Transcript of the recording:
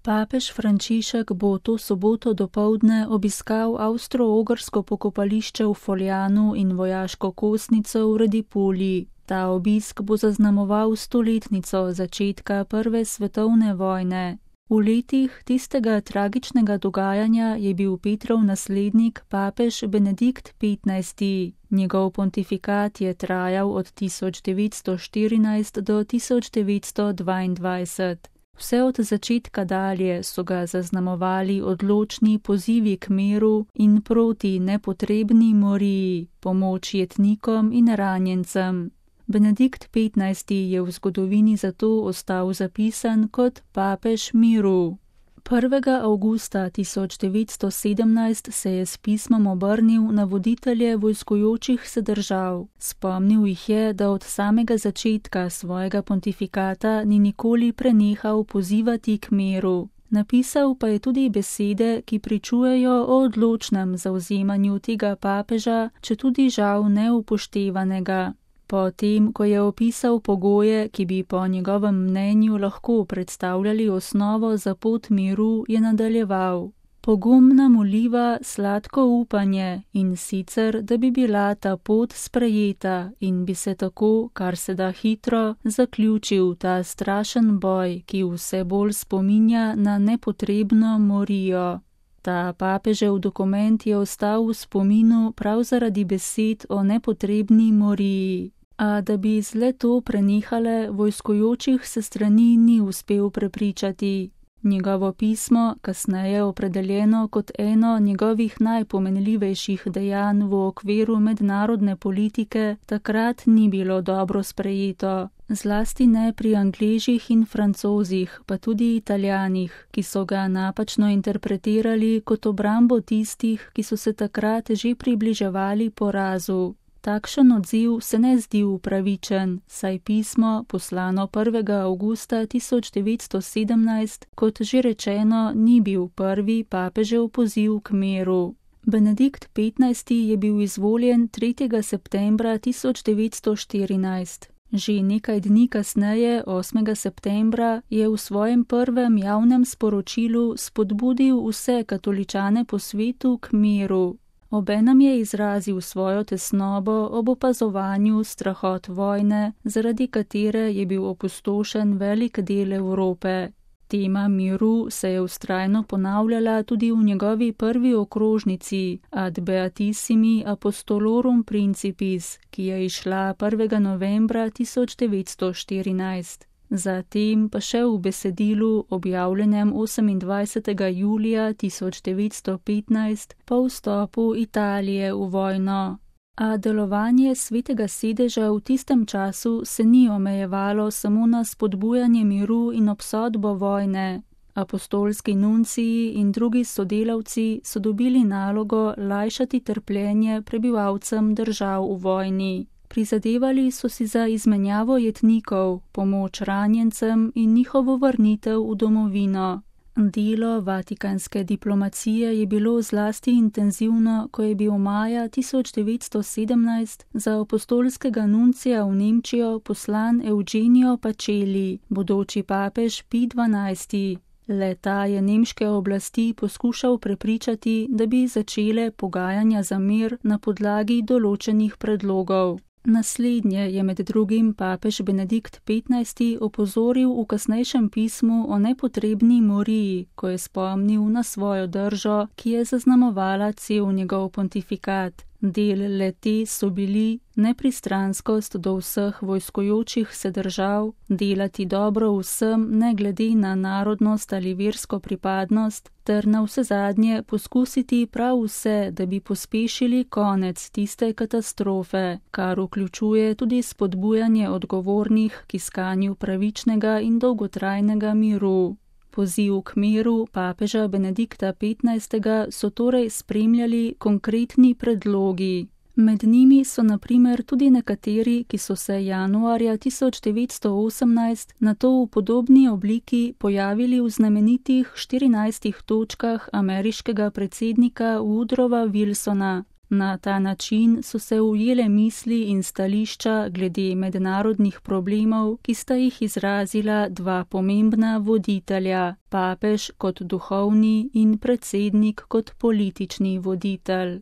Papež Frančišek bo to soboto dopoldne obiskal avstro-ogrsko pokopališče v Foljanu in vojaško kostnico v Radipolji. Ta obisk bo zaznamoval 100-letnico začetka Prve svetovne vojne. V letih tistega tragičnega dogajanja je bil Petrov naslednik papež Benedikt XV. Njegov pontifikat je trajal od 1914 do 1922. Vse od začetka dalje so ga zaznamovali odločni pozivi k miru in proti nepotrebni moriji, pomoč jetnikom in ranjencem. Benedikt XV. Je v zgodovini zato ostal zapisan kot papež miru. 1. avgusta 1917 se je s pismom obrnil na voditelje vojskujočih se držav. Spomnil jih je, da od samega začetka svojega pontifikata ni nikoli prenehal pozivati k miru. Napisal pa je tudi besede, ki pričujejo o odločnem zavzemanju tega papeža, četudi žal neupoštevanega. Potem, ko je opisal pogoje, ki bi po njegovem mnenju lahko predstavljali osnovo za pot miru, je nadaljeval. Pogumna molitva, sladko upanje in sicer, da bi bila ta pot sprejeta in bi se tako, kar se da hitro, zaključil ta strašen boj, ki vse bolj spominja na nepotrebno morijo. Ta papežev dokument je ostal v spominu prav zaradi besed o nepotrebni moriji. A da bi z le-to prenehale, vojskujočih se strani ni uspel prepričati. Njegovo pismo, kasneje opredeljeno kot eno njegovih najpomenljivejših dejanj v okviru mednarodne politike, takrat ni bilo dobro sprejeto. Zlasti ne pri Angležih in Francozih, pa tudi Italijanih, ki so ga napačno interpretirali kot obrambo tistih, ki so se takrat že približevali porazu. Takšen odziv se ne zdi upravičen, saj pismo, poslano 1. avgusta 1917, kot že rečeno, ni bil prvi papežev poziv k miru. Benedikt XV. Je bil izvoljen 3. septembra 1914. Že nekaj dni kasneje, 8. septembra, je v svojem prvem javnem sporočilu spodbudil vse katoličane po svetu k miru. Obenem je izrazil svojo tesnobo ob opazovanju strahot vojne, zaradi katere je bil opustošen velik del Evrope. Tema miru se je vztrajno ponavljala tudi v njegovi prvi okrožnici Ad Beatissimi Apostolorum Principis, ki je izšla 1. novembra 1914. Zatem pa še v besedilu, objavljenem 28. julija 1915 po vstopu Italije v vojno. A delovanje Svetega sedeža v tistem času se ni omejevalo samo na spodbujanje miru in obsodbo vojne. Apostolski nunciji in drugi sodelavci so dobili nalogo lajšati trpljenje prebivalcem držav v vojni. Prizadevali so si za izmenjavo jetnikov, pomoč ranjencem in njihovo vrnitev v domovino. Delo vatikanske diplomacije je bilo zlasti intenzivno, ko je bil maja 1917 za apostolskega nuncija v Nemčijo poslan Eugenio Pacelli, bodoči papež Pij XII. Le-ta je nemške oblasti poskušal prepričati, da bi začele pogajanja za mir na podlagi določenih predlogov. Naslednje je med drugim papež Benedikt XV. Opozoril v kasnejšem pismu o nepotrebni moriji, ko je spomnil na svojo držo, ki je zaznamovala cel njegov pontifikat. Del le-te so bili nepristranskost do vseh vojskujočih se držav, delati dobro vsem ne glede na narodnost ali versko pripadnost, ter navsezadnje poskusiti prav vse, da bi pospešili konec tiste katastrofe, kar vključuje tudi spodbujanje odgovornih k iskanju pravičnega in dolgotrajnega miru. Poziv k miru papeža Benedikta XV. So torej spremljali konkretni predlogi. Med njimi so na primer tudi nekateri, ki so se januarja 1918 nato v podobni obliki pojavili v znamenitih 14 točkah ameriškega predsednika Woodrowa Wilsona. Na ta način so se ujele misli in stališča glede mednarodnih problemov, ki sta jih izrazila dva pomembna voditelja, papež kot duhovni in predsednik kot politični voditelj.